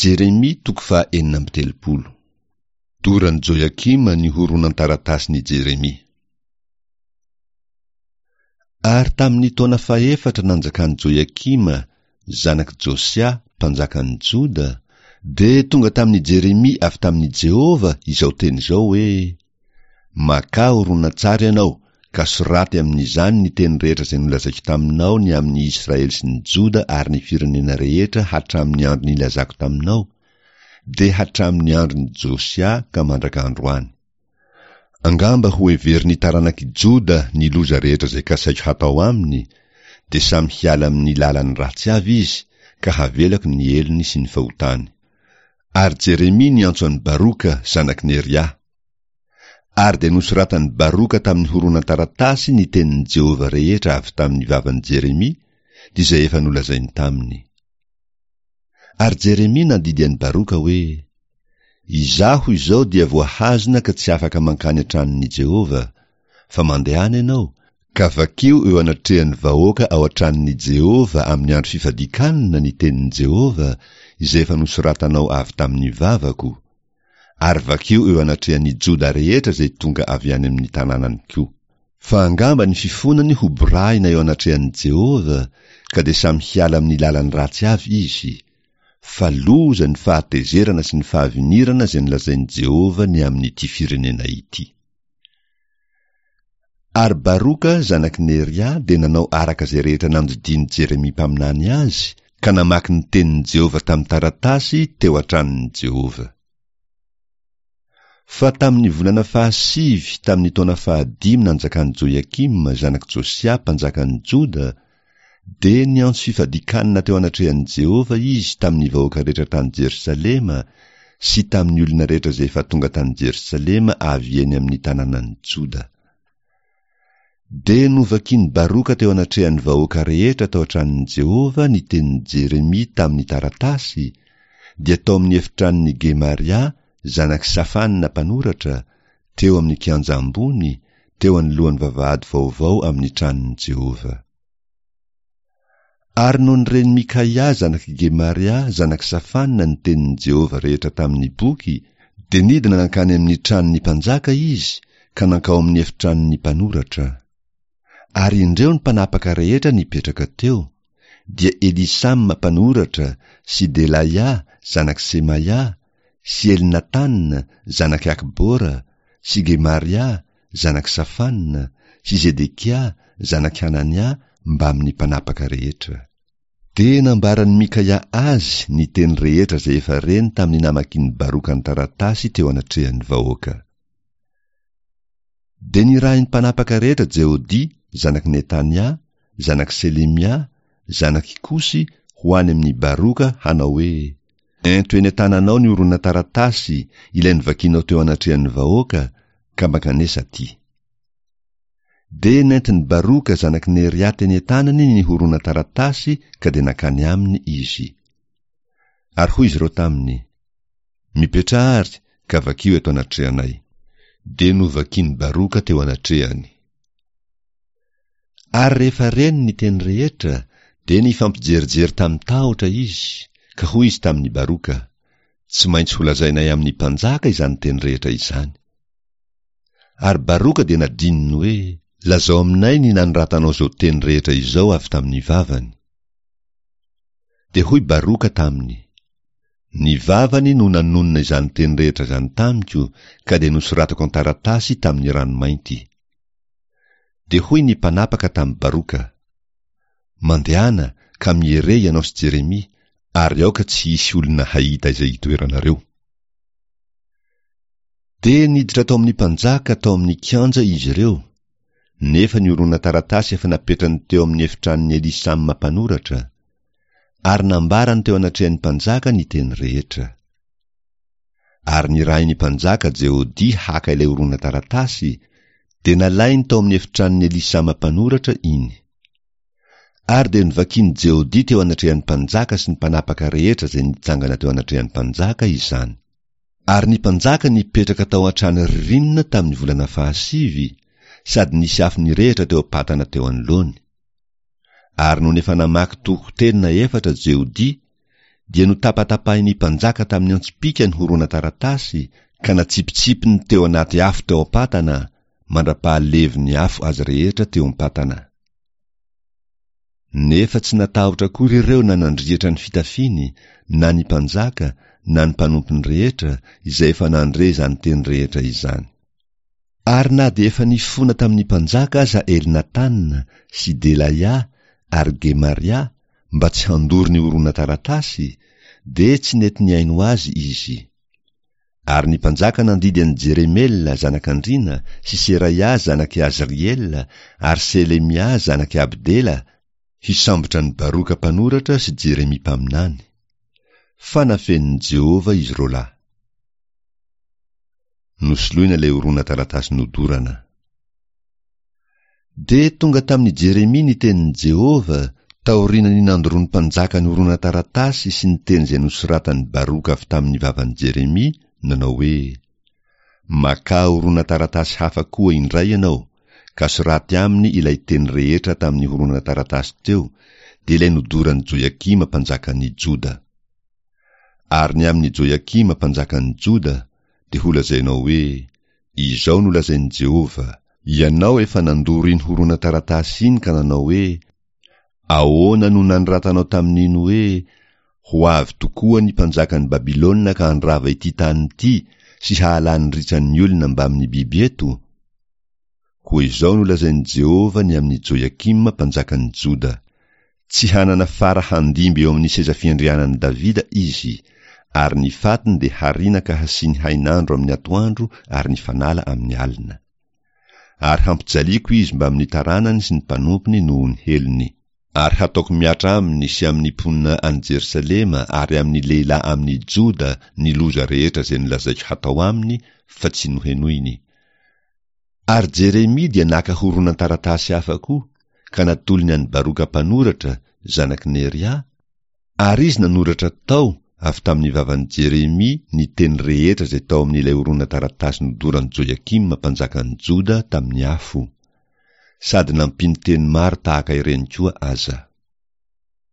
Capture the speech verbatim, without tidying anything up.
Jeremia toko faha enina amby telopolo. Doran'i Joiakima ny horonan-taratasin'i Jeremia. Ary tamin'ny taona fahefatra nanjakan'i Joiakima, zanak'i Josia, mpanjakan'i Joda, dia tonga tamin'i Jeremia avy tamin'i Jehovah izao teny izao hoe, Makà horonantsary ianao, ka soraty amin'izany ny teny rehetra izay nolazaiko taminao ny amin'ny Israely sy ny Joda ary ny firenena rehetra hatramin'ny andro nilazako taminao, dia hatramin'ny andron'i Josia ka mandraka androany. Angamba hoheverin'ny taranak'i Joda ny loza rehetra izay kasaiko hatao aminy, dia samy hiala amin'ny lalany ratsy avy izy, ka havelako ny helony sy ny fahotany. Ary Jeremia niantso an'i Baroka, zanak'i Neria. Ary dia nosoratan'i Baroka tamin'ny horonan-taratasy ny tenin'i Jehovah rehetra avy tamin'ny vavan'i Jeremia, dia izay efa nolazainy taminy. Ary Jeremia nandidy an'i Baroka hoe, Izaho izao dia voahazona ka tsy afaka mankany an-tranon'i Jehovah, fa mandehana ianao, ka vakio eo anatrehan'ny vahoaka ao an-tranon'i Jehovah amin'ny andro fifadian-kanina ny tenin'i Jehovah izay efa nosoratanao avy tamin'ny vavako, ary vakio eo anatrehan'ny Joda rehetra izay tonga avy any amin'ny tanànany koa. Fa angamba ny fifonany ho borahina eo anatrehan'i Jehovah, ka dia samy hiala amin'ny lalany ratsy avy izy. Fa loza ny fahatezerana sy ny fahavinirana izay nolazain'i Jehovah ny amin'ity firenena ity. Ary Baroka zanak'i Neria dia nanao araka izay rehetra nandidian'i Jeremia mpaminany azy, ka namaky ny tenin'i Jehovah tamin'ny taratasy teo an-tranon'i Jehovah. Fa tamin'ny volana fahasivy tamin'ny taona fahadimy nanjakan'i Joiakima zanak'i Josia mpanjakan'i Joda, dia niantso fifadian-kanina teo anatrehan'i Jehovah izy tamin'ny vahoaka rehetra tany Jerosalema sy tamin'ny olona rehetra izay efa tonga tany Jerosalema avy eny amin'ny tanànan'i Joda. Dia novakian'i Baroka teo anatrehan'ny vahoaka rehetra tao an-tranon'i Jehovah ny tenin'i Jeremia tamin'ny taratasy, dia tao amin'ny efitranon'i Gemaria zanak'i Safana mpanoratra, teo amin'ny kianja ambony, teo anoloan'ny vavahady vaovao amin'ny tranon'i Jehovah. Ary nony ren'i Mikaia zanak'i Gemaria zanak'i Safana ny tenin'i Jehovah rehetra tamin'ny boky, dia nidina nankany amin'ny tranon'ny mpanjaka izy ka nankao amin'ny efitranon'ny mpanoratra. Ary indreo ny mpanapaka rehetra nipetraka teo, dia Elisama mpanoratra sy Delaia zanak'i Semaia sy Elnatana zanak'i Akbora sy Gemaria zanak'i Safana sy Zedekia zanak'i Hanania mbamin'ny mpanapaka rehetra. Dia nambaran'i Mikaia azy ny teny rehetra izay efa reny tamin'ny namakian'i Baroka ny taratasy teo anatrehan'ny vahoaka. Dia nirahin'ny mpanapaka rehetra Jehodia zanak'i Netania, zanak'i Selemia, zanak'i Kosy ho any amin'i Baroka hanao hoe, Ento eny an-tananao ny horonan-taratasy ilay novakianao teo anatrehan'ny vahoaka, ka mankanesa aty. Dia nentin'i Baroka zanak'i Neria teny an-tanany ny horonan-taratasy ka dia nankany aminy izy. Ary hoy izy ireo taminy, Mipetraha àry ka vakio eto anatrehanay. Dia novakian'i Baroka teo anatrehany. Ary rehefa reny ny teny rehetra, dia nifampijerijery tamin-tahotra izy, ka hoy izy tamin'i Baroka, Tsy maintsy holazainay amin'ny mpanjaka izany teny rehetra izany. Ary Baroka dia nadininy hoe, Lazao aminay ny nanoratanao izao teny rehetra izao avy tamin'ny vavany. Dia hoy Baroka taminy, Ny vavany no nanonona izany teny rehetra izany tamiko, ka dia nosoratako an-taratasy tamin'ny ranomainty. Dia hoy ny mpanapaka tamin'i Baroka, Mandehana ka miere ianao sy Jeremia, ary aoka tsy hisy olona hahita izay itoeranareo. Dia niditra tao amin'ny mpanjaka tao amin'ny kianja izy ireo, nefa ny horonan-taratasy efa napetrany teo amin'ny efitranon'i Elisama mpanoratra, ary nambarany teo anatrehan'ny mpanjaka ny teny rehetra. Ary nirahin'ny mpanjaka Jehodia haka ilay horonan-taratasy, dia nalainy tao amin'ny efitranon'i Elisama mpanoratra iny. Ary dia novakian'i Jehodia teo anatrehan'ny mpanjaka sy ny mpanapaka rehetra izay nitsangana teo anatrehan'ny mpanjaka izany. Ary ny mpanjaka nipetraka tao an-trano ririnina tamin'ny volana fahasivy, sady nisy afo nirehitra teo am-patana teo anoloany. Ary nony efa namaky toko telo na efatra Jehodia, dia notapatapahin'ny mpanjaka tamin'ny antsipìka ny horonan-taratasy ka natsipitsipiny teo anaty afo teo am-patana, mandra-pahalevon'ny afo azy rehetra teo am-patana. Nefa tsy natahotra akory ireo na nandriatra ny fitafiany, na ny mpanjaka, na ny mpanompony rehetra, izay efa nandre izany teny rehetra izany. Ary na dia efa nifona tamin'ny mpanjaka aza Elnatana sy Delaia ary Gemaria mba tsy handoro ny horonan-taratasy, dia tsy nety nihaino azy izy. Ary ny mpanjaka nandidy an'i Jeremela zanak'andriana sy Seraia zanak'i Azriela ary Selemia zanak'i Abdela hisambotra an'i Baroka mpanoratra sy Jeremia mpaminany. Fa nafenin'i Jehovah izy roa lahy. Nosoloina ilay horonan-taratasy nodorana. Dia tonga tamin'i Jeremia ny tenin'i Jehovah taorian'ny nandoroan'ny mpanjaka ny horonan-taratasy sy ny teny izay nosoratan'i Baroka avy tamin'ny vavan'i Jeremia, nanao hoe, Makà horonan-taratasy hafa koa indray ianao, ka soraty aminy ilay teny rehetra tamin'ny horonan-taratasy teo, dia ilay nodoran'i Joiakima mpanjakan'ny Joda. Ary ny amin'i Joiakima mpanjakan'ny Joda, dia holazainao hoe, Izao no lazain'i Jehovah, Ianao efa nandoro iny horonan-taratasy iny ka nanao hoe, Ahoana no nanoratanao tamin'iny hoe, Ho avy tokoa ny mpanjakan'i Babylona ka handrava ity tany ity sy hahalany ritran'ny olona mbamin'ny biby eto? Koa izao no lazain'i Jehovah ny amin'i Joiakima mpanjakan'ny Joda, Tsy hanana fara handimby eo amin'ny seza fiandrianan'i Davida izy, ary ny fatiny dia hariana ka hasiany hainandro amin'ny atoandro ary ny fanala amin'ny alina. Ary hampijaliako izy mbamin'ny taranany sy ny mpanompony noho ny helony. Ary hataoko mihatra aminy sy amin'ny mponina any Jerosalema ary amin'ny lehilahy amin'ny Joda ny loza rehetra izay nolazaiko hatao aminy fa tsy nohenoiny. Ary Jeremia dia naka horonan-taratasy hafa koa, ka natolony an'i Baroka mpanoratra, zanak'i Neria, ary izy nanoratra tao avy tamin'ny vavan'i Jeremia ny teny rehetra izay tao amin'ilay horonan-taratasy nodoran'i Joiakima mpanjakan'i Joda tamin'ny afo, sady nampiany teny maro tahaka ireny koa aza.